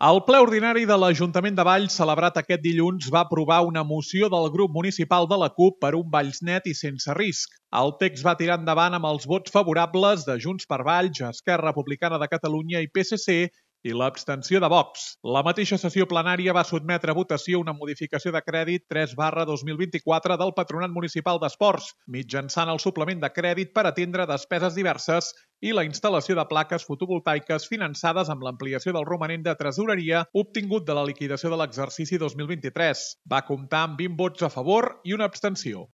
El ple ordinari de l'Ajuntament de Valls, celebrat aquest dilluns, va aprovar una moció del grup municipal de la CUP per un Valls net i sense risc. El text va tirar endavant amb els vots favorables de Junts per Valls, Esquerra Republicana de Catalunya i PSC i l'abstenció de Vox. La mateixa sessió plenària va sotmetre a votació una modificació de crèdit 3/2024 del Patronat Municipal d'Esports, mitjançant el suplement de crèdit per atendre despeses diverses i la instal·lació de plaques fotovoltaiques finançades amb l'ampliació del romanent de tresoreria obtingut de la liquidació de l'exercici 2023. Va comptar amb 20 vots a favor i una abstenció.